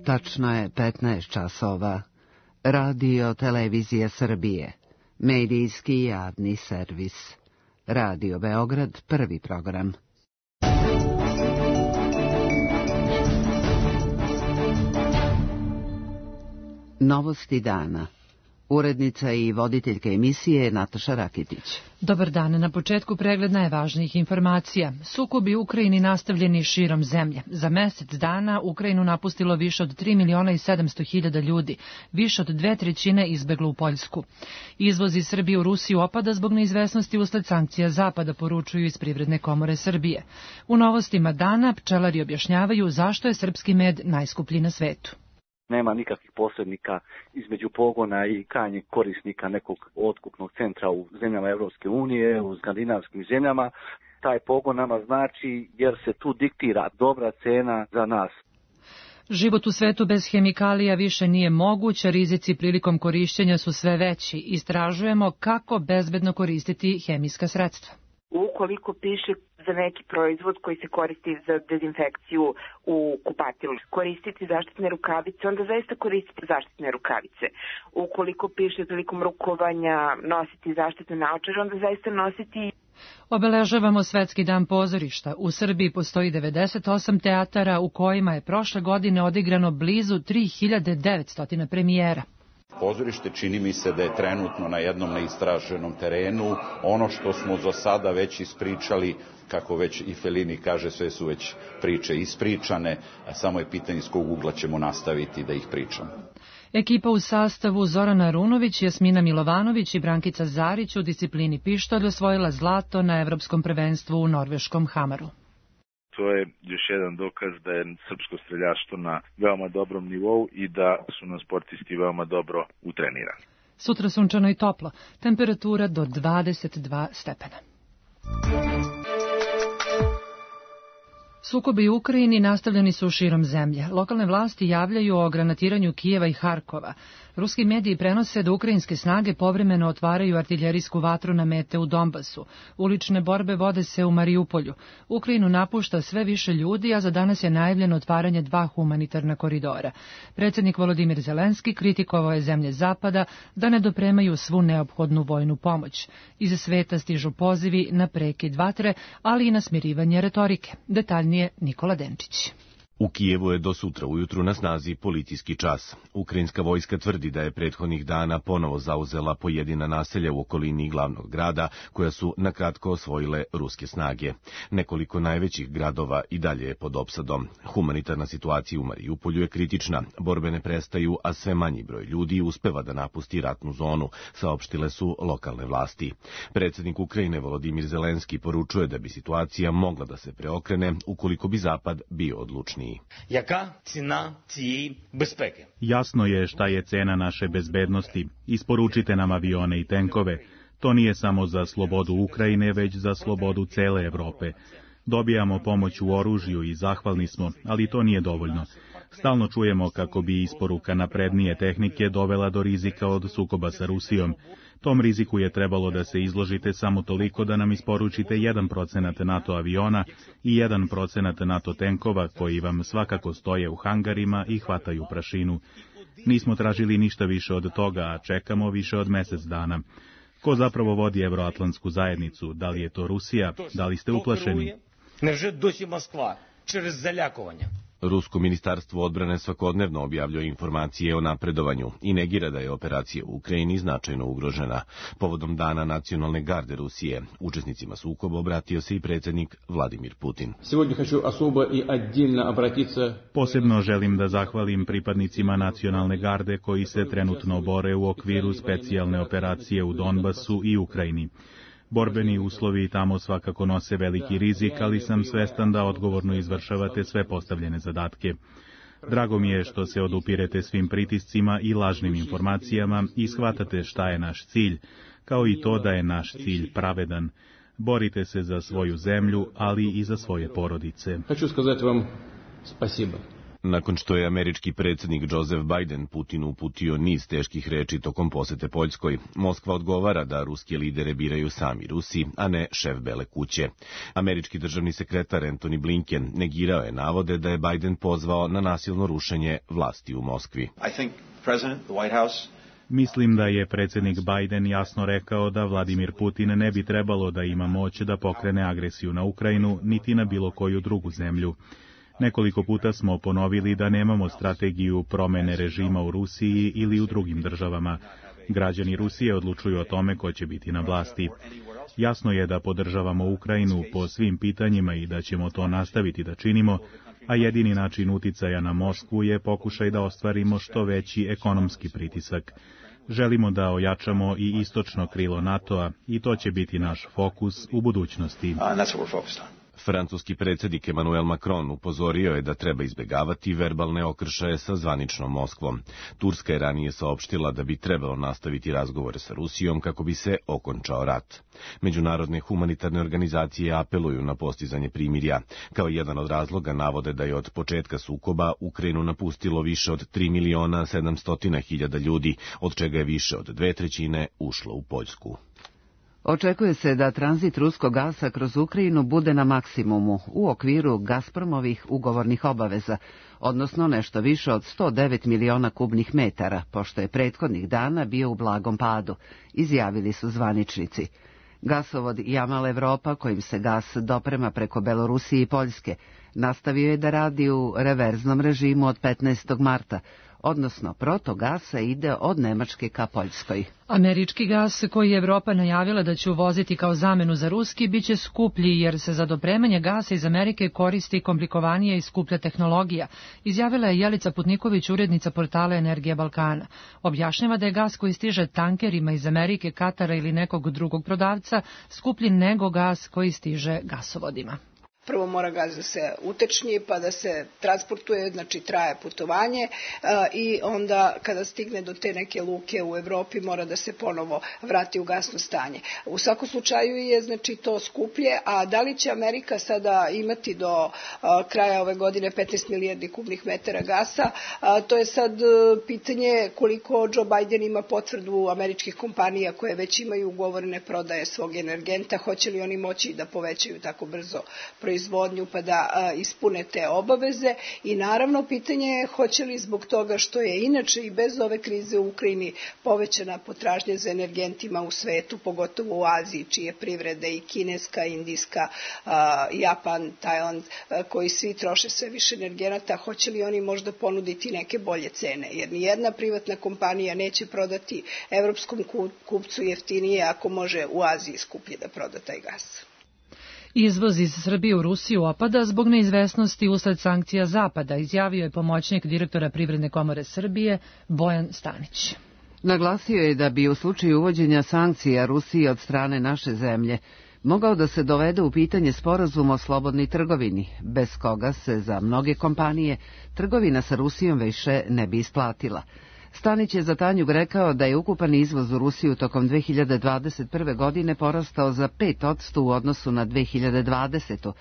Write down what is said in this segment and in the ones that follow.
Tačno je 15 časova. Radio Televizija Srbije. Medijski javni servis. Radio Beograd, prvi program. Novosti dana. Urednica i voditeljka emisije Nataša Rakitić. Dobar dan, na početku pregled najvažnijih informacija. Sukobi u Ukrajini nastavljeni širom zemlje. Za mesec dana Ukrajinu napustilo više od 3.700.000 ljudi, više od 2/3 izbeglo u Poljsku. Izvoz iz Srbije u Rusiju opada zbog neizvesnosti usled sankcija Zapada, poručuju iz Privredne komore Srbije. U novostima dana pčelari objašnjavaju zašto je srpski med najskuplji na svetu. Nema nikakvih posrednika između pogona i krajnjeg korisnika nekog otkupnog centra u zemljama Evropske unije, u skandinavskim zemljama. Taj pogon nama znači jer se tu diktira dobra cena za nas. Život u svetu bez hemikalija više nije moguć, a rizici prilikom korišćenja su sve veći. Istražujemo kako bezbedno koristiti hemijska sredstva. Ukoliko piše za neki proizvod koji se koristi za dezinfekciju u kupatilu, koristiti zaštitne rukavice, onda zaista koristiti zaštitne rukavice. Ukoliko piše prilikom rukovanja nositi zaštitne naočare, onda zaista nositi. Obeležavamo Svetski dan pozorišta. U Srbiji postoji 98 teatara u kojima je prošle godine odigrano blizu 3900 premijera. Pozorište čini mi se da je trenutno na jednom neistraženom terenu. Ono što smo za sada već ispričali, kako već i Fellini kaže, sve su već priče ispričane, a samo je pitanje iz kog ugla ćemo nastaviti da ih pričamo. Ekipa u sastavu Zorana Arunović, Jasmina Milovanović i Brankica Zarić u disciplini pištolj osvojila zlato na Evropskom prvenstvu u norveškom Hamaru. To je još jedan dokaz da je srpsko streljaštvo na veoma dobrom nivou i da su nam sportisti veoma dobro utrenirani. Sutra sunčano i toplo, temperatura do 22 stepena. Sukobi u Ukrajini nastavljeni su širom zemlje. Lokalne vlasti javljaju o granatiranju Kijeva i Harkova. Ruski mediji prenose da ukrajinske snage povremeno otvaraju artiljerijsku vatru na mete u Donbasu. Ulične borbe vode se u Mariupolju. Ukrajinu napušta sve više ljudi, a za danas je najavljeno otvaranje 2 humanitarna koridora. Predsjednik Volodimir Zelenski kritikovao je zemlje Zapada da ne dopremaju svu neophodnu vojnu pomoć. Iz sveta stižu pozivi na prekid vatre, ali i na smirivanje retorike. Detaljnije Nikola Denčić. U Kijevu je do sutra ujutru na snazi policijski čas. Ukrajinska vojska tvrdi da je prethodnih dana ponovo zauzela pojedina naselja u okolini glavnog grada, koja su nakratko osvojile ruske snage. Nekoliko najvećih gradova i dalje je pod opsadom. Humanitarna situacija u Mariupolju je kritična, borbe ne prestaju, a sve manji broj ljudi uspeva da napusti ratnu zonu, saopštile su lokalne vlasti. Predsjednik Ukrajine Volodimir Zelenski poručuje da bi situacija mogla da se preokrene ukoliko bi Zapad bio odlučniji. Jasno je šta je cena naše bezbednosti. Isporučite nam avione i tenkove. To nije samo za slobodu Ukrajine, već za slobodu cele Evrope. Dobijamo pomoć u oružju i zahvalni smo, ali to nije dovoljno. Stalno čujemo kako bi isporuka naprednije tehnike dovela do rizika od sukoba sa Rusijom. Tom riziku je trebalo da se izložite samo toliko da nam isporučite 1% NATO aviona i 1% NATO tenkova koji vam svakako stoje u hangarima i hvataju prašinu. Nismo tražili ništa više od toga, a čekamo više od mesec dana. Ko zapravo vodi Evroatlantsku zajednicu? Da li je to Rusija? Da li ste uplašeni? Невже досі Москва через залякування? Rusko ministarstvo odbrane svakodnevno objavljuje informacije o napredovanju i negira da je operacija u Ukrajini značajno ugrožena. Povodom Dana nacionalne garde Rusije, učesnicima sukoba obratio se i predsjednik Vladimir Putin. Posebno želim da zahvalim pripadnicima nacionalne garde koji se trenutno bore u okviru specijalne operacije u Donbasu i Ukrajini. Borbeni uslovi tamo svakako nose veliki rizik, ali sam svestan da odgovorno izvršavate sve postavljene zadatke. Drago mi je što se odupirete svim pritiscima i lažnim informacijama i shvatate šta je naš cilj, kao i to da je naš cilj pravedan. Borite se za svoju zemlju, ali i za svoje porodice. Nakon što je američki predsjednik Joseph Biden Putinu uputio niz teških reči tokom posete Poljskoj, Moskva odgovara da ruske lidere biraju sami Rusi, a ne šef Bele kuće. Američki državni sekretar Antony Blinken negirao je navode da je Biden pozvao na nasilno rušenje vlasti u Moskvi. Mislim da je predsjednik Biden jasno rekao da Vladimir Putin ne bi trebalo da ima moć da pokrene agresiju na Ukrajinu, niti na bilo koju drugu zemlju. Nekoliko puta smo ponovili da nemamo strategiju promene režima u Rusiji ili u drugim državama. Građani Rusije odlučuju o tome ko će biti na vlasti. Jasno je da podržavamo Ukrajinu po svim pitanjima i da ćemo to nastaviti da činimo, a jedini način uticaja na Moskvu je pokušaj da ostvarimo što veći ekonomski pritisak. Želimo da ojačamo i istočno krilo NATO-a i to će biti naš fokus u budućnosti. Francuski predsjednik Emmanuel Macron upozorio je da treba izbjegavati verbalne okršaje sa zvaničnom Moskvom. Turska je ranije saopštila da bi trebalo nastaviti razgovore sa Rusijom kako bi se okončao rat. Međunarodne humanitarne organizacije apeluju na postizanje primirja. Kao jedan od razloga navode da je od početka sukoba Ukrajinu napustilo više od 3.700.000 ljudi, od čega je više od 2/3 ušlo u Poljsku. Očekuje se da tranzit ruskog gasa kroz Ukrajinu bude na maksimumu u okviru Gazpromovih ugovornih obaveza, odnosno nešto više od 109 miliona kubnih metara, pošto je prethodnih dana bio u blagom padu, izjavili su zvaničnici. Gasovod Jamal Evropa, kojim se gas doprema preko Belorusije i Poljske, nastavio je da radi u reverznom režimu od 15. marta, odnosno protogasa ide od Nemačke ka Poljskoj. Američki gas koji je Evropa najavila da će uvoziti kao zamenu za ruski biće skuplji jer se za dopremanje gasa iz Amerike koristi komplikovanija i skuplja tehnologija, izjavila je Jelica Putniković, urednica portala Energija Balkana. Objašnjava da je gas koji stiže tankerima iz Amerike, Katara ili nekog drugog prodavca skuplji nego gas koji stiže gasovodima. Prvo mora gas da se utečni, pa da se transportuje, znači traje putovanje i onda kada stigne do te neke luke u Evropi mora da se ponovo vrati u gasno stanje. U svakom slučaju je znači to skuplje, a da li će Amerika sada imati do kraja ove godine 15 milijardi kubnih metara gasa, to je sad pitanje koliko Joe Biden ima potvrdu američkih kompanija koje već imaju ugovorene prodaje svog energenta, hoće li oni moći da povećaju tako brzo proizvodnju pa da ispune te obaveze i naravno pitanje je hoće li zbog toga što je inače i bez ove krize u Ukrajini povećana potražnja za energentima u svetu, pogotovo u Aziji, čije privrede i kineska, indijska, Japan, Tajland, koji svi troše sve više energenata, hoće li oni možda ponuditi neke bolje cene, jer nijedna privatna kompanija neće prodati evropskom kupcu jeftinije ako može u Aziji skuplje da proda taj gas. Izvoz iz Srbije u Rusiju opada zbog neizvesnosti usled sankcija Zapada, izjavio je pomoćnik direktora Privredne komore Srbije Bojan Stanić. Naglasio je da bi u slučaju uvođenja sankcija Rusiji od strane naše zemlje mogao da se dovede u pitanje sporazum o slobodnoj trgovini, bez koga se za mnoge kompanije trgovina sa Rusijom više ne bi isplatila. Stanić je za Tanjug rekao da je ukupan izvoz u Rusiju tokom 2021. godine porastao za 5% u odnosu na 2020.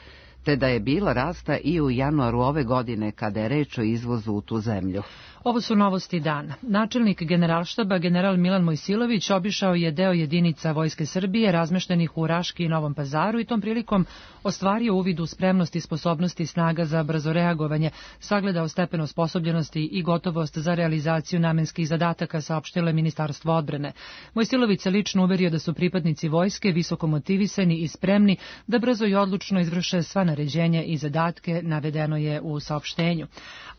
te da je bilo rasta i u januaru ove godine kada je reč o izvozu u tu zemlju. Ovo su novosti dana. Načelnik Generalštaba general Milan Mojsilović obišao je deo jedinica Vojske Srbije razmeštenih u Raški i Novom Pazaru i tom prilikom ostvario uvid u spremnost i sposobnosti snaga za brzo reagovanje, sagledao stepen osposobljenosti i gotovost za realizaciju namenskih zadataka, saopštilo je Ministarstvo odbrane. Mojsilović se lično uverio da su pripadnici vojske visoko motivisani i spremni da brzo i odlučno izvrše sva naređenja i zadatke, navedeno je u saopštenju.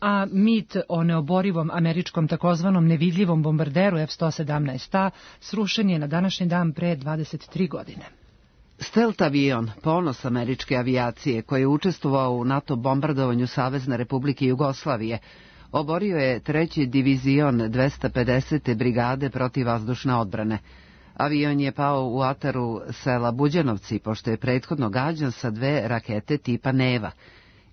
A mit o neoborivom američkom takozvanom nevidljivom bombarderu F-117A srušen je na današnji dan pre 23 godine. Stealth avion, ponos američke avijacije, koji je učestvovao u NATO bombardovanju Savezne Republike Jugoslavije, oborio je 3. divizion 250. brigade protivvazdušne odbrane. Avion je pao u ataru sela Buđanovci, pošto je prethodno gađan sa 2 rakete tipa Neva.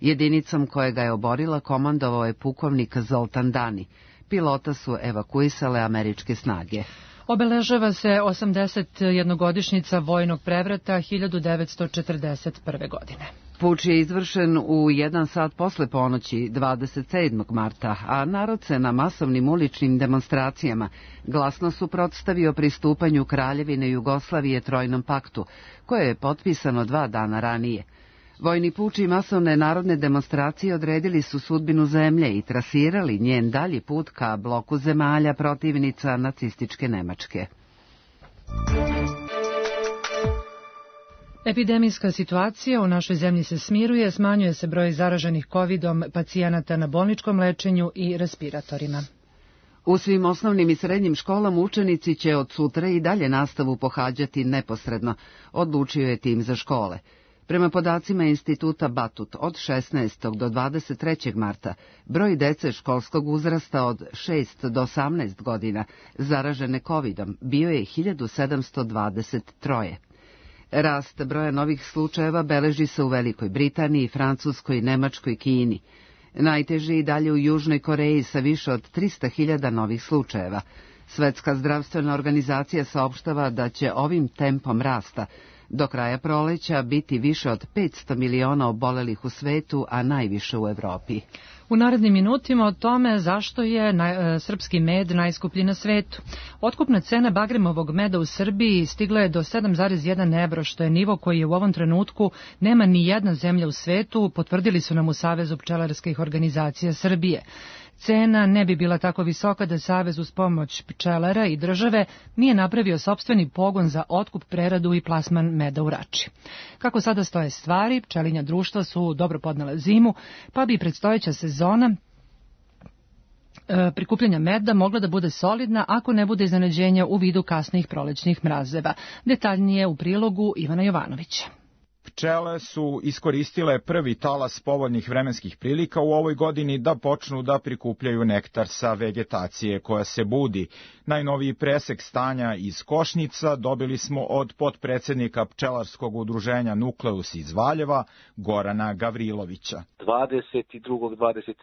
Jedinicom koja ga je oborila komandovao je pukovnik Zoltan Dani. Pilota su evakuisale američke snage. Obeležava se 81-godišnjica vojnog prevrata 1941. godine. Puč je izvršen u 1 sat posle ponoći 27. marta, a narod se na masovnim uličnim demonstracijama glasno suprotstavio pristupanju Kraljevine Jugoslavije Trojnom paktu, koje je potpisano 2 dana ranije. Vojni puč i masovne narodne demonstracije odredili su sudbinu zemlje i trasirali njen dalji put ka bloku zemalja protivnica nacističke Nemačke. Epidemijska situacija u našoj zemlji se smiruje, smanjuje se broj zaraženih covidom pacijenata na bolničkom lečenju i respiratorima. U svim osnovnim i srednjim školama učenici će od sutra i dalje nastavu pohađati neposredno, odlučio je tim za škole. Prema podacima Instituta Batut, od 16. do 23. marta broj dece školskog uzrasta od 6 do 18 godina zaražene covidom bio je 1723. Rast broja novih slučajeva beleži se u Velikoj Britaniji, Francuskoj, Nemačkoj, Kini. Najteže i dalje u Južnoj Koreji sa više od 300.000 novih slučajeva. Svetska zdravstvena organizacija saopštava da će ovim tempom rasta do kraja proleća biti više od 500 miliona obolelih u svetu, a najviše u Evropi. U narednim minutima o tome zašto je srpski med najskuplji na svetu. Otkupna cena bagremovog meda u Srbiji stigla je do 7,1 evro, što je nivo koji je u ovom trenutku nema ni jedna zemlja u svetu, potvrdili su nam u Savezu pčelarskih organizacija Srbije. Cena ne bi bila tako visoka da Savez uz pomoć pčelara i države nije napravio sopstveni pogon za otkup, preradu i plasman meda u Rači. Kako sada stoje stvari, pčelinja društva su dobro podnele zimu, pa bi predstojeća sezona prikupljanja meda mogla da bude solidna ako ne bude iznenađenja u vidu kasnih prolećnih mrazeva. Detaljnije u prilogu Ivana Jovanovića. Pčele su iskoristile prvi talas povoljnih vremenskih prilika u ovoj godini da počnu da prikupljaju nektar sa vegetacije koja se budi. Najnoviji presek stanja iz Košnica dobili smo od potpredsednika pčelarskog udruženja Nukleus iz Valjeva, Gorana Gavrilovića. 22., 23.,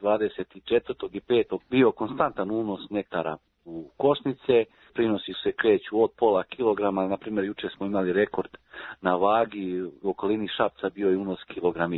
24. i 5. bio konstantan unos nektara u Košnice, prinosi se kreću od pola kilograma, na primjer juče smo imali rekord na vagi, u okolini Šapca bio je unos 1,5 kilograma.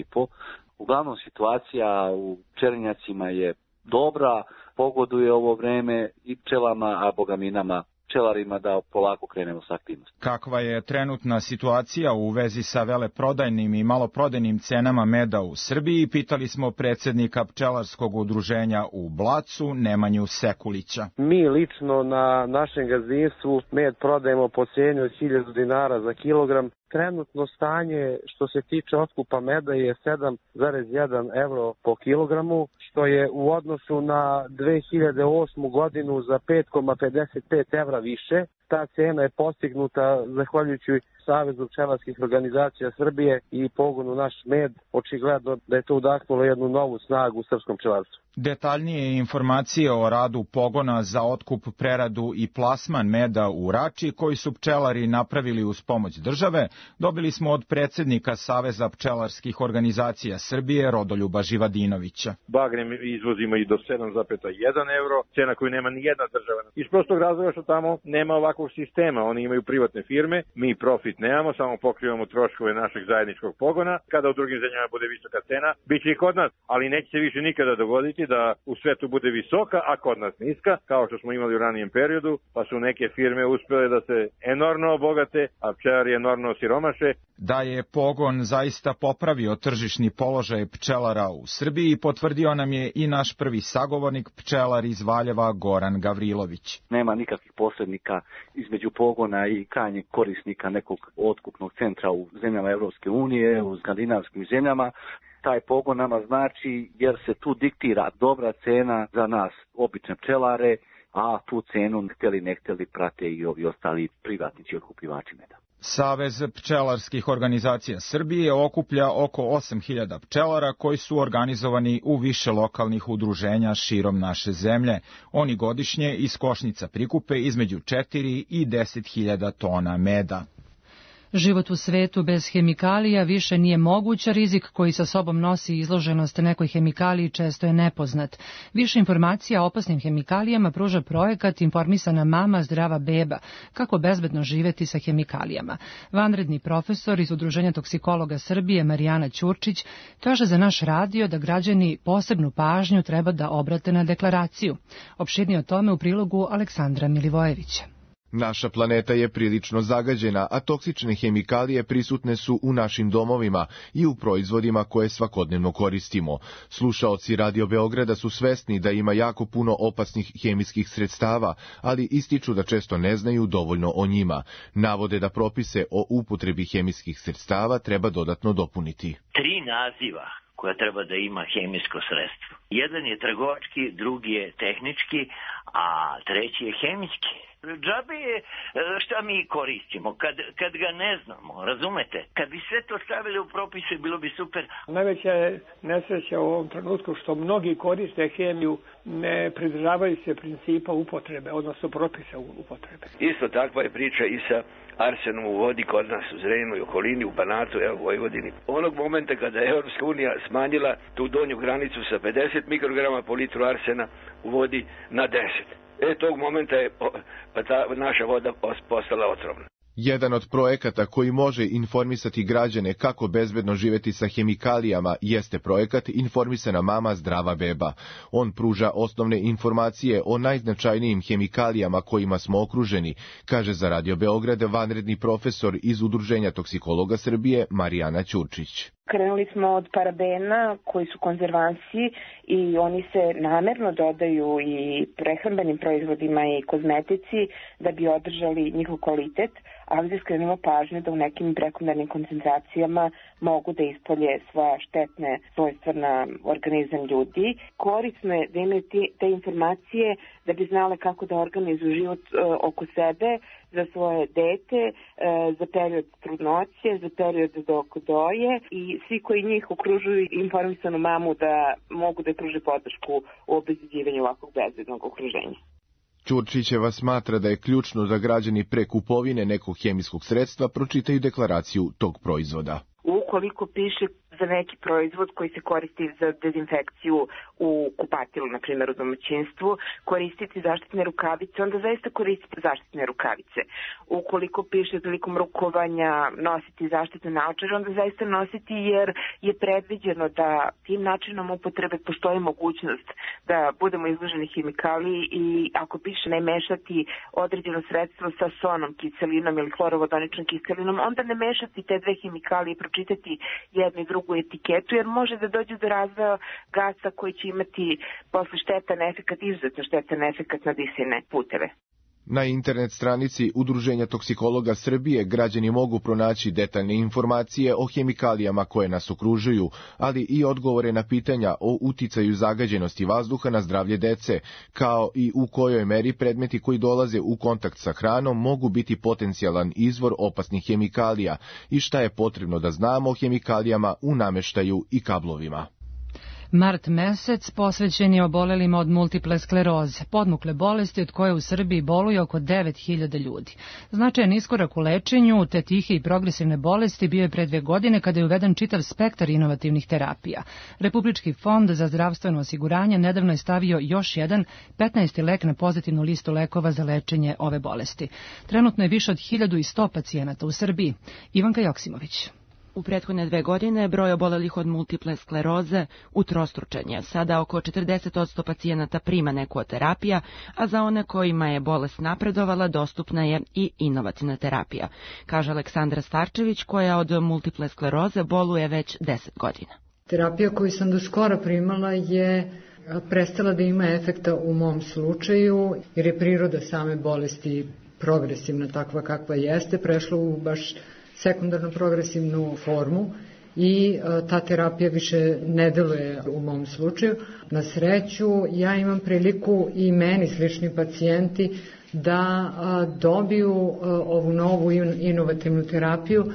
Uglavnom situacija u pčelinjacima je dobra, pogoduje ovo vreme i pčelama, a bogami nama pčelarima da polako krenemo sa aktivnosti. Kakva je trenutna situacija u vezi sa veleprodajnim i maloprodajnim cenama meda u Srbiji, pitali smo predsednika pčelarskog udruženja u Blacu, Nemanju Sekulića. Mi lično na našem gazdinstvu med prodajemo po cijeni od 1000 dinara za kilogram. Trenutno stanje što se tiče otkupa meda je 7,1 evro po kilogramu, što je u odnosu na 2008. godinu za 5,55 evra više. Ta cena je postignuta zahvaljujući Savezu pčelarskih organizacija Srbije i pogonu Naš med. Očigledno da je to udahnulo jednu novu snagu u srpskom pčelarstvu. Detaljnije informacije o radu pogona za otkup, preradu i plasman meda u Rači, koji su pčelari napravili uz pomoć države, dobili smo od predsednika Saveza pčelarskih organizacija Srbije, Rodoljuba Živadinovića. Bagrem izvozimo i do 7,1 evro, cena koju nema ni jedna država. Iz prostog razloga što tamo nema ovakvog sistema, oni imaju privatne firme, mi profit nemamo, samo pokrivamo troškove našeg zajedničkog pogona. Kada u drugim zemljama bude visoka cena, bit će i kod nas, ali neće se više nikada dogoditi da u svetu bude visoka, a kod nas niska, kao što smo imali u ranijem periodu, pa su neke firme uspjele da se enormno obogate, a pčelari enormno osiromaše. Da je pogon zaista popravio tržišni položaj pčelara u Srbiji, potvrdio nam je i naš prvi sagovornik, pčelar iz Valjeva, Goran Gavrilović. Nema nikakvih posrednika između pogona i krajnjeg korisnika nekog otkupnog centra u zemljama Evropske unije, u skandinavskim zemljama. Taj pogon nama znači jer se tu diktira dobra cena za nas, obične pčelare, a tu cenu ne hteli prate i ovi ostali privatnici otkupljivači meda. Savez pčelarskih organizacija Srbije okuplja oko 8.000 pčelara koji su organizovani u više lokalnih udruženja širom naše zemlje. Oni godišnje iz Košnica prikupe između 4 i 10.000 tona meda. Život u svetu bez hemikalija više nije moguć, a rizik koji sa sobom nosi izloženost nekoj hemikaliji često je nepoznat. Više informacija o opasnim hemikalijama pruža projekat Informisana mama, zdrava beba, kako bezbedno živeti sa hemikalijama. Vanredni profesor iz Udruženja toksikologa Srbije Marijana Ćurčić kaže za naš radio da građani posebnu pažnju treba da obrate na deklaraciju. Opširnije o tome u prilogu Aleksandra Milivojevića. Naša planeta je prilično zagađena, a toksične hemikalije prisutne su u našim domovima i u proizvodima koje svakodnevno koristimo. Slušaoci Radio Beograda su svesni da ima jako puno opasnih hemijskih sredstava, ali ističu da često ne znaju dovoljno o njima. Navode da propise o upotrebi hemijskih sredstava treba dodatno dopuniti. 3 naziva koja treba da ima hemijsko sredstvo. Jedan je trgovački, drugi je tehnički, a treći je hemijski. Džabe je šta mi koristimo, kad ga ne znamo, razumete? Kad bi sve to stavili u propise, bilo bi super. Najveća je nesreća u ovom trenutku što mnogi koriste hemiju, ne pridržavaju se principa upotrebe, odnosno propisa upotrebe. Isto takva je priča i sa arsenom u vodi kod nas u Zrenjaninu i okolini, u Banatu, u Vojvodini. Onog momenta kada je Europska unija smanjila tu donju granicu sa 50 mikrograma po litru arsena u vodi na 10. Tog momenta je ta naša voda postala otrovna. Jedan od projekata koji može informisati građane kako bezbedno živeti sa hemikalijama jeste projekat Informisana mama, zdrava beba. On pruža osnovne informacije o najznačajnijim hemikalijama kojima smo okruženi, kaže za Radio Beograd vanredni profesor iz Udruženja toksikologa Srbije Marijana Ćurčić. Krenuli smo od parabena koji su konzervansi i oni se namerno dodaju i prehrambenim proizvodima i kozmetici da bi održali njihov kvalitet, ali da skrenemo pažnju da u nekim prekomernim koncentracijama mogu da ispolje svoja štetne svojstva na organizam ljudi. Korisno je da imaju te informacije da bi znale kako da organizuju život oko sebe, za svoje dete, za period trudnoće, za period dok doje i svi koji njih okružuju informisanu mamu da mogu da pruže podršku u obezbeđivanju ovakvog bezbednog okruženja. Ćurčićeva smatra da je ključno da građani pre kupovine nekog hemijskog sredstva pročitaju deklaraciju tog proizvoda. Ukoliko piše za neki proizvod koji se koristi za dezinfekciju u kupatilu, na primjer u domaćinstvu, koristiti zaštitne rukavice, onda zaista koristite zaštitne rukavice. Ukoliko piše prilikom rukovanja nositi zaštitne naočare, onda zaista nositi jer je predviđeno da tim načinom upotrebe postoji mogućnost da budemo izloženi hemikaliji i ako piše ne mešati određeno sredstvo sa sonom, kiselinom ili hlorovodoničnom kiselinom, onda ne mešati te dve hemikalije i pročitati jednu i drugu etiketu, jer može da dođe do razvoja gasa koji će imati posle štetan efekat, izuzetno štetan efekat na disajne puteve. Na internet stranici Udruženja toksikologa Srbije građani mogu pronaći detaljne informacije o hemikalijama koje nas okružuju, ali i odgovore na pitanja o uticaju zagađenosti vazduha na zdravlje dece, kao i u kojoj meri predmeti koji dolaze u kontakt sa hranom mogu biti potencijalan izvor opasnih hemikalija i šta je potrebno da znamo o hemikalijama u nameštaju i kablovima. Mart mesec posvećen je obolelima od multiple skleroze, podmukle bolesti od koje u Srbiji boluje oko 9.000 ljudi. Značajan iskorak u lečenju te tihe i progresivne bolesti bio je pre 2 godine kada je uveden čitav spektar inovativnih terapija. Republički fond za zdravstveno osiguranje nedavno je stavio još jedan 15. lek na pozitivnu listu lekova za lečenje ove bolesti. Trenutno je više od 1100 pacijenata u Srbiji. Ivanka Joksimović. U prethodne 2 godine broj obolelih od multiple skleroze utrostručen je. Sada oko 40% pacijenata prima neku od terapija, a za one kojima je bolest napredovala dostupna je i inovativna terapija, kaže Aleksandra Starčević koja od multiple skleroze boluje već 10 godina. Terapija koju sam do skora primala je prestala da ima efekta u mom slučaju, jer je priroda same bolesti progresivna takva kakva jeste, prešla u baš sekundarno progresivnu formu i ta terapija više ne deluje u mom slučaju. Na sreću ja imam priliku i meni slični pacijenti da dobiju ovu novu inovativnu terapiju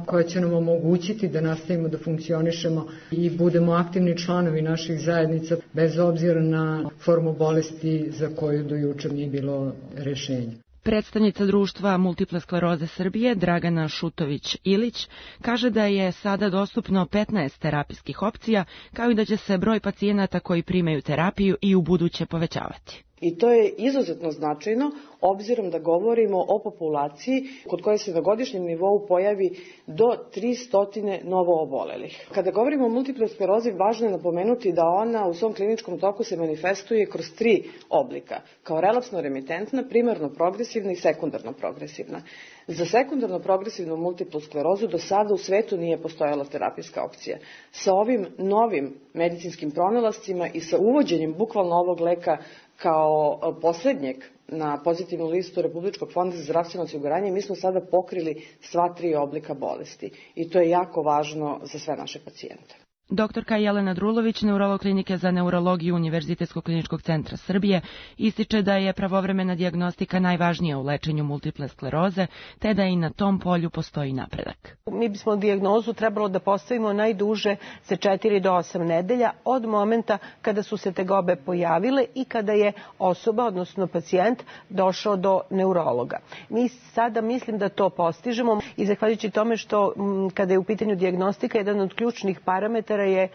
koja će nam omogućiti da nastavimo da funkcionišemo i budemo aktivni članovi naših zajednica bez obzira na formu bolesti za koju do jučer nije bilo rešenja. Predstavnica društva Multiple skleroze Srbije, Dragana Šutović-Ilić, kaže da je sada dostupno 15 terapijskih opcija, kao i da će se broj pacijenata koji primaju terapiju i u buduće povećavati. I to je izuzetno značajno, obzirom da govorimo o populaciji kod koje se na godišnjem nivou pojavi do 300 novo obolelih. Kada govorimo o multiple sklerozi, važno je napomenuti da ona u svom kliničkom toku se manifestuje kroz 3 oblika, kao relapsno remitentna, primarno progresivna i sekundarno progresivna. Za sekundarno progresivnu multiplu sklerozu do sada u svetu nije postojala terapijska opcija. Sa ovim novim medicinskim pronalascima i sa uvođenjem bukvalno ovog leka kao poslednjeg na pozitivnu listu Republičkog fonda za zdravstveno osiguranje, mi smo sada pokrili sva 3 oblika bolesti i to je jako važno za sve naše pacijente. Doktorka Jelena Drulović, neurolog klinike za neurologiju Univerzitetskog kliničkog centra Srbije, ističe da je pravovremena dijagnostika najvažnija u lečenju multiple skleroze, te da i na tom polju postoji napredak. Mi bismo dijagnozu trebalo da postavimo najduže za 4 do 8 nedelja od momenta kada su se tegobe pojavile i kada je osoba, odnosno pacijent, došao do neurologa. Mi sada mislim da to postižemo i zahvaljujući tome što kada je u pitanju dijagnostika, jedan od ključnih parametara je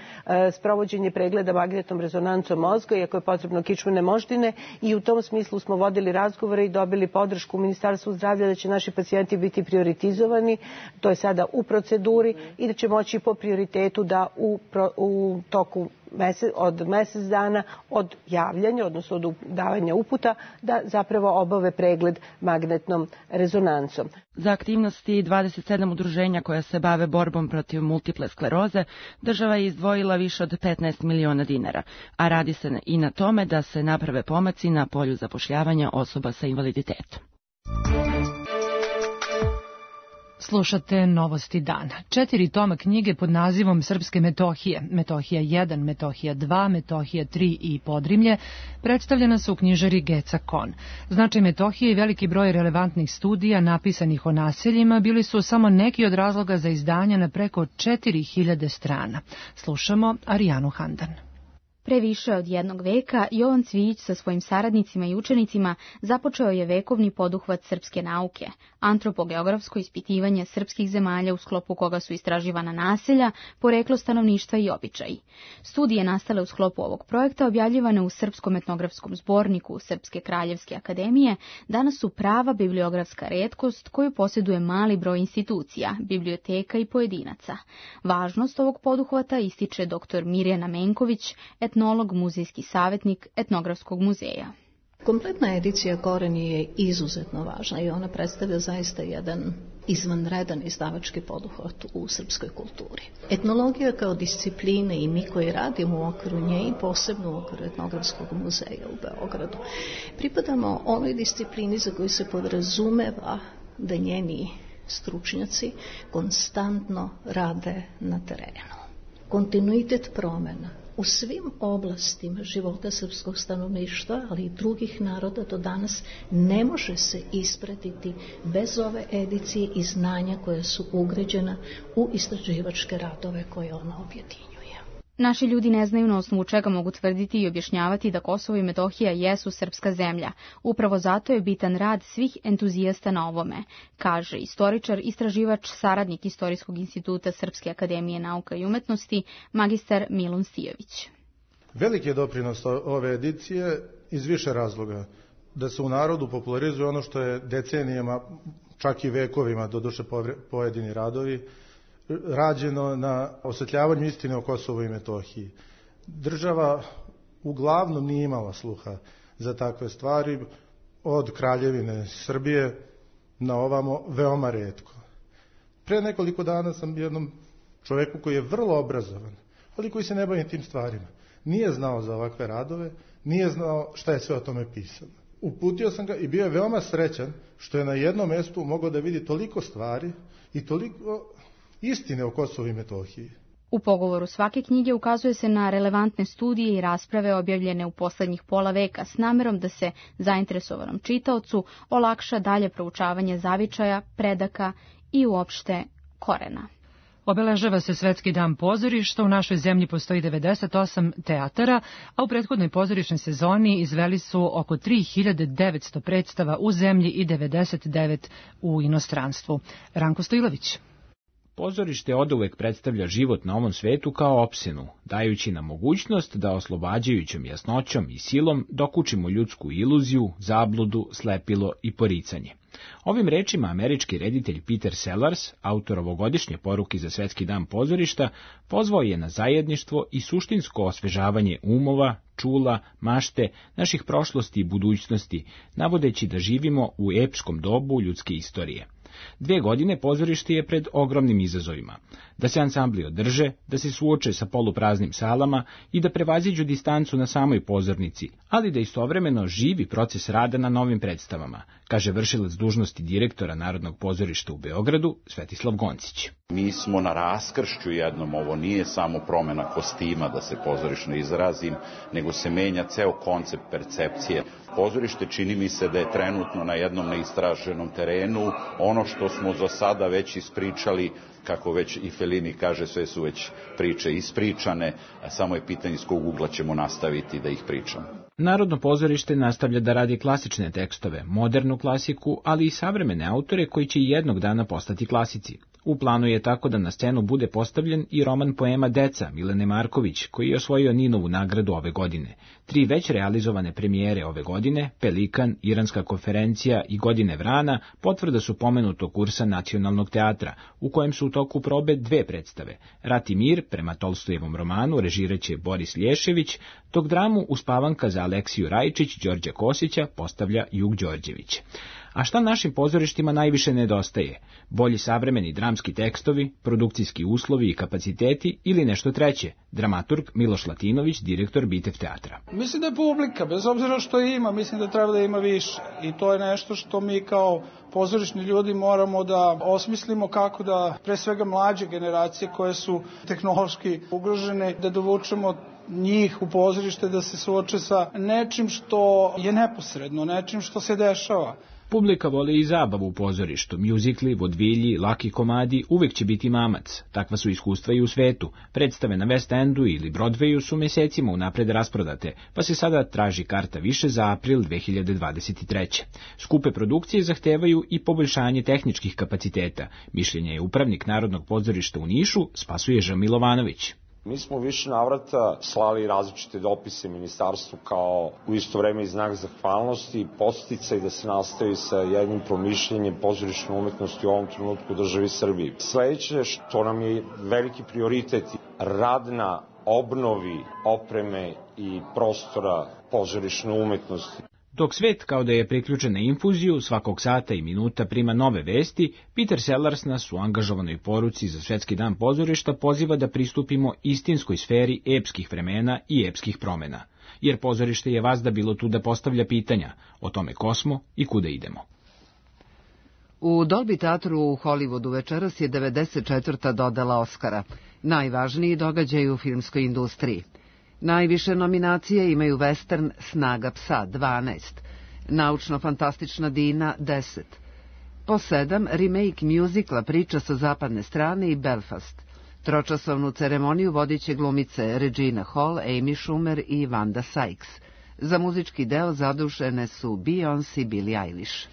sprovođenje pregleda magnetnom rezonancom mozga, iako je potrebno kičmene moždine, i u tom smislu smo vodili razgovore i dobili podršku u Ministarstvu zdravlja da će naši pacijenti biti prioritizovani, to je sada u proceduri, i da će moći po prioritetu da u toku od mesec dana od javljanja, odnosno od davanja uputa, da zapravo obave pregled magnetnom rezonancom. Za aktivnosti 27 udruženja koja se bave borbom protiv multiple skleroze, država je izdvojila više od 15 miliona dinara, a radi se i na tome da se naprave pomaci na polju zapošljavanja osoba sa invaliditetom. Slušate Novosti dana. 4 toma knjige pod nazivom Srpske Metohije, Metohija 1, Metohija 2, Metohija 3 i Podrimlje, predstavljena su u knjižari Geca Kon. Značaj Metohije i veliki broj relevantnih studija napisanih o naseljima bili su samo neki od razloga za izdanje na preko 4000 strana. Slušamo Arijanu Handan. Pre više od 1 veka Jovan Cvijić sa svojim saradnicima i učenicima započeo je vekovni poduhvat srpske nauke, antropogeografsko ispitivanje srpskih zemalja u sklopu koga su istraživana naselja, poreklo stanovništva i običaji. Studije nastale u sklopu ovog projekta, objavljivane u Srpskom etnografskom zborniku Srpske kraljevske akademije, danas su prava bibliografska retkost koju posjeduje mali broj institucija, biblioteka i pojedinaca. Važnost ovog poduhvata ističe dr. Mirjana Menković, etnolog, muzejski savjetnik Etnografskog muzeja. Kompletna edicija Koreni je izuzetno važna i ona predstavlja zaista jedan izvanredan izdavački poduhvat u srpskoj kulturi. Etnologija kao discipline i mi koji radimo u okviru nje i posebno u okviru Etnografskog muzeja u Beogradu pripadamo onoj disciplini za koju se podrazumeva da njeni stručnjaci konstantno rade na terenu. Kontinuitet promjena u svim oblastima života srpskog stanovništva, ali i drugih naroda do danas ne može se ispratiti bez ove edicije i znanja koja su ugrađena u istraživačke radove koje ona objedinjuje. Naši ljudi ne znaju na osnovu čega mogu tvrditi i objašnjavati da Kosovo i Metohija jesu srpska zemlja. Upravo zato je bitan rad svih entuzijasta na ovome, kaže istoričar, istraživač, saradnik Istorijskog instituta Srpske akademije nauka i umetnosti, magistar Milun Stijović. Veliki je doprinos ove edicije iz više razloga. Da se u narodu popularizuje ono što je decenijama, čak i vekovima, doduše pojedini radovi, rađeno na osvetljavanju istine o Kosovu i Metohiji. Država uglavnom nije imala sluha za takve stvari, od Kraljevine Srbije na ovamo veoma retko. Pre nekoliko dana sam jednom čoveku koji je vrlo obrazovan, ali koji se ne bavi tim stvarima, nije znao za ovakve radove, nije znao šta je sve o tome pisano. Uputio sam ga i bio je veoma srećan što je na jednom mestu mogao da vidi toliko stvari i toliko istine o Kosovu i Metohiji. U pogovoru svake knjige ukazuje se na relevantne studije i rasprave objavljene u poslednjih pola veka s namerom da se zainteresovanom čitaocu olakša dalje proučavanje zavičaja, predaka i uopšte korena. Obeležava se Svetski dan pozorišta, u našoj zemlji postoji 98 teatara, a u prethodnoj pozorišnoj sezoni izveli su oko 3900 predstava u zemlji i 99 u inostranstvu. Ranko Stojilović. Pozorište oduvek predstavlja život na ovom svetu kao opsenu, dajući nam mogućnost da oslobađajućom jasnoćom i silom dokučimo ljudsku iluziju, zabludu, slepilo i poricanje. Ovim rečima američki reditelj Peter Sellers, autor ovogodišnje poruke za Svetski dan pozorišta, pozvao je na zajedništvo i suštinsko osvežavanje umova, čula, mašte, naših prošlosti i budućnosti, navodeći da živimo u epskom dobu ljudske istorije. 2 godine pozorište je pred ogromnim izazovima, da se ansambli održe, da se suoče sa polupraznim salama i da prevaziđu distancu na samoj pozornici, ali da istovremeno živi proces rada na novim predstavama, kaže vršilac dužnosti direktora Narodnog pozorišta u Beogradu, Svetislav Goncić. Mi smo na raskršću jednom, ovo nije samo promena kostima, da se pozorišno izrazim, nego se menja ceo koncept percepcije. Pozorište čini mi se da je trenutno na jednom neistraženom terenu. Ono što smo za sada već ispričali, kako već i Fellini kaže, sve su već priče ispričane, a samo je pitanje iz kog ugla ćemo nastaviti da ih pričamo. Narodno pozorište nastavlja da radi klasične tekstove, modernu klasiku, ali i savremene autore koji će jednog dana postati klasici. U planu je tako da na scenu bude postavljen i roman poema Deca Milene Marković, koji je osvojio Ninovu nagradu ove godine. 3 već realizovane premijere ove godine, Pelikan, Iranska konferencija i Godine vrana, potvrda su pomenutog kursa Nacionalnog teatra, u kojem su u toku probe 2 predstave. Rat i mir, prema Tolstojevom romanu, režiraće Boris Lješević, dok dramu Uspavanka za Aleksiju Rajčić, Đorđa Kosića postavlja Jug Đorđević. A šta našim pozorištima najviše nedostaje? Bolji savremeni dramski tekstovi, produkcijski uslovi i kapaciteti ili nešto treće? Dramaturg Miloš Latinović, direktor Bitev teatra. Mislim da je publika, bez obzira što ima, mislim da treba da ima više. I to je nešto što mi kao pozorišni ljudi moramo da osmislimo kako da, pre svega mlađe generacije koje su tehnološki ugrožene, da dovučemo njih u pozorište da se suoče sa nečim što je neposredno, nečim što se dešava. Publika voli i zabavu u pozorištu, mjuzikli, vodvilji, laki komadi, uvek će biti mamac. Takva su iskustva i u svetu. Predstave na West Endu ili Broadwayu su mesecima unapred rasprodate, pa se sada traži karta više za april 2023. Skupe produkcije zahtevaju i poboljšanje tehničkih kapaciteta. Mišljenje je upravnik Narodnog pozorišta u Nišu, Spasuježa Milovanović. Mi smo više navrata slali različite dopise ministarstvu kao u isto vreme i znak zahvalnosti i podsticaj da se nastavi sa jednim promišljenjem pozorišne umetnosti u ovom trenutku u državi Srbiji. Sledeće što nam je veliki prioritet, rad na obnovi opreme i prostora pozorišne umetnosti. Dok svet kao da je priključen na infuziju, svakog sata i minuta prima nove vesti, Peter Sellers nas u angažovanoj poruci za Svetski dan pozorišta poziva da pristupimo istinskoj sferi epskih vremena i epskih promena. Jer pozorište je vazda bilo tu da postavlja pitanja o tome ko smo i kuda idemo. U Dolby teatru u Hollywoodu večeras je 94. dodala Oscara, najvažniji događaj u filmskoj industriji. Najviše nominacije imaju western Snaga psa 12, naučno-fantastična Dina 10, po 7 remake mjuzikla Priča sa zapadne strane i Belfast. Tročasovnu ceremoniju vodiće glumice Regina Hall, Amy Schumer i Wanda Sykes. Za muzički deo zadužene su Beyoncé i Billie Eilish.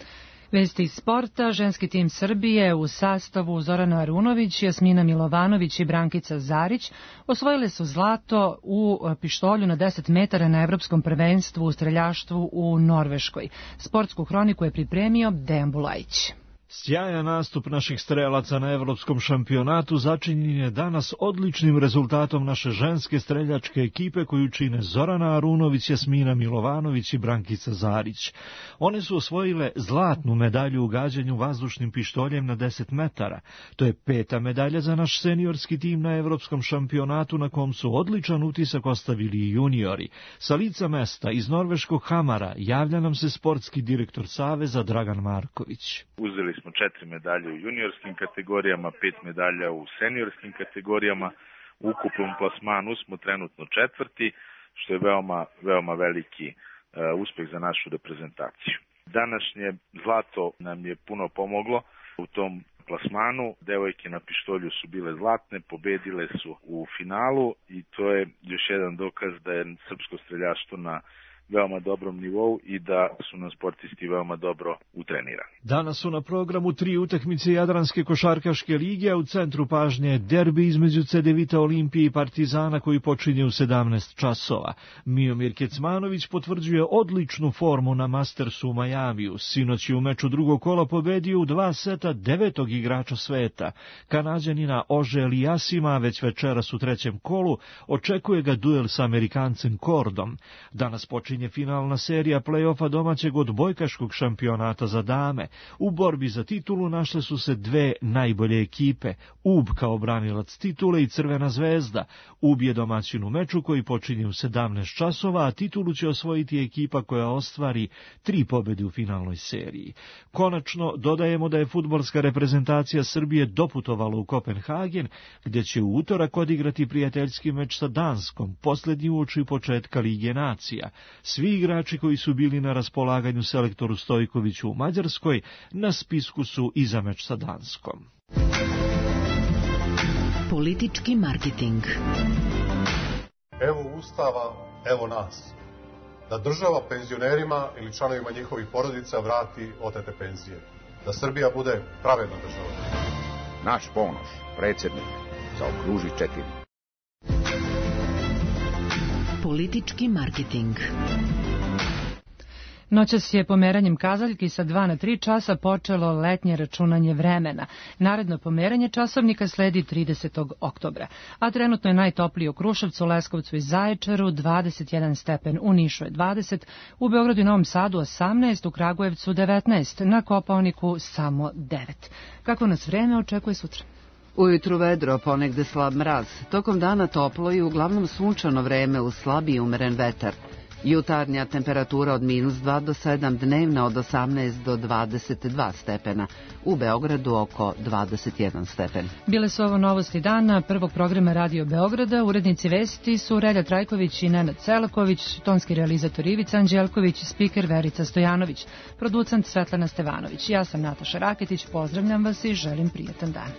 Vesti iz sporta, ženski tim Srbije u sastavu Zorana Arunović, Jasmina Milovanović i Brankica Zarić osvojile su zlato u pištolju na 10 metara na Evropskom prvenstvu u streljaštvu u Norveškoj. Sportsku hroniku je pripremio Dejan Bulajić. Sjajan nastup naših strelaca na evropskom šampionatu začinjen je danas odličnim rezultatom naše ženske streljačke ekipe koju čine Zorana Arunović, Jasmina Milovanović i Brankica Zarić. One su osvojile zlatnu medalju u gađanju vazdušnim pištoljem na 10 metara. To je 5. medalja za naš seniorski tim na evropskom šampionatu na kom su odličan utisak ostavili i juniori. Sa lica mesta iz norveškog Hamara javlja nam se sportski direktor Saveza Dragan Marković. Uzeli smo 4 medalje u juniorskim kategorijama, 5 medalja u seniorskim kategorijama. U ukupnom plasmanu smo trenutno 4., što je veoma veliki uspeh za našu reprezentaciju. Današnje zlato nam je puno pomoglo u tom plasmanu. Devojke na pištolju su bile zlatne, pobedile su u finalu i to je još jedan dokaz da je srpsko streljaštvo na veoma dobrom nivou i da su nam sportisti veoma dobro utrenirani. Danas su na programu 3 utakmice Jadranske košarkaške lige, a u centru pažnje derbi između Cedevita Olimpije i Partizana koji počinje u 17 časova. Miomir Kecmanović potvrđuje odličnu formu na Mastersu u Majamiju. Sinoć je u meču drugog kola pobedio u 2 seta 9. igrača sveta. Kanađanina Ože Eliasima već večeras u 3. kolu očekuje ga duel sa Amerikancem Kordom. Danas počinje finalna serija play-offa domaćeg odbojkaškog šampionata za dame. U borbi za titulu našle su se 2 najbolje ekipe, UB kao branilac titule i Crvena zvezda. UB je domaćin u meču koji počinje u 17 časova, a titulu će osvojiti ekipa koja ostvari 3 pobjede u finalnoj seriji. Konačno, dodajemo da je fudbalska reprezentacija Srbije doputovala u Kopenhagen, gdje će u utorak odigrati prijateljski meč sa Danskom, posljednji uoči početka Lige nacija. Svi igrači koji su bili na raspolaganju selektoru Stojkoviću u Mađarskoj na spisku su i za meč sa Danskom. Politički marketing. Evo Ustava, evo nas. Da država penzionerima ili članovima njihovih porodica vrati otete penzije. Da Srbija bude pravedna država. Naš Ponoš, predsjednik, zaokruži 4. Politički marketing. Noćas je pomeranjem kazaljki sa 2 na 3 časa počelo letnje računanje vremena. Naredno pomeranje časovnika sledi 30. oktobra. A trenutno je najtopliji u Kruševcu, Leskovcu i Zaječaru 21 stepen, u Nišu je 20, u Beogradu i Novom Sadu 18, u Kragujevcu 19, na Kopaoniku samo 9. Kako nas vreme očekuje sutra? Ujutru vedro, ponegde slab mraz. Tokom dana toplo i uglavnom sunčano vreme uz slab i umeren vetar. Jutarnja temperatura od -2 do 7, dnevna od 18 do 22 stepena. U Beogradu oko 21 stepen. Bile su ovo novosti dana prvog programa Radio Beograda. Urednici vesti su Relja Trajković i Nenad Celaković, tonski realizator Ivica Anđelković, spiker Verica Stojanović, producent Svetlana Stevanović. Ja sam Nataša Raketić, pozdravljam vas i želim prijatan dan.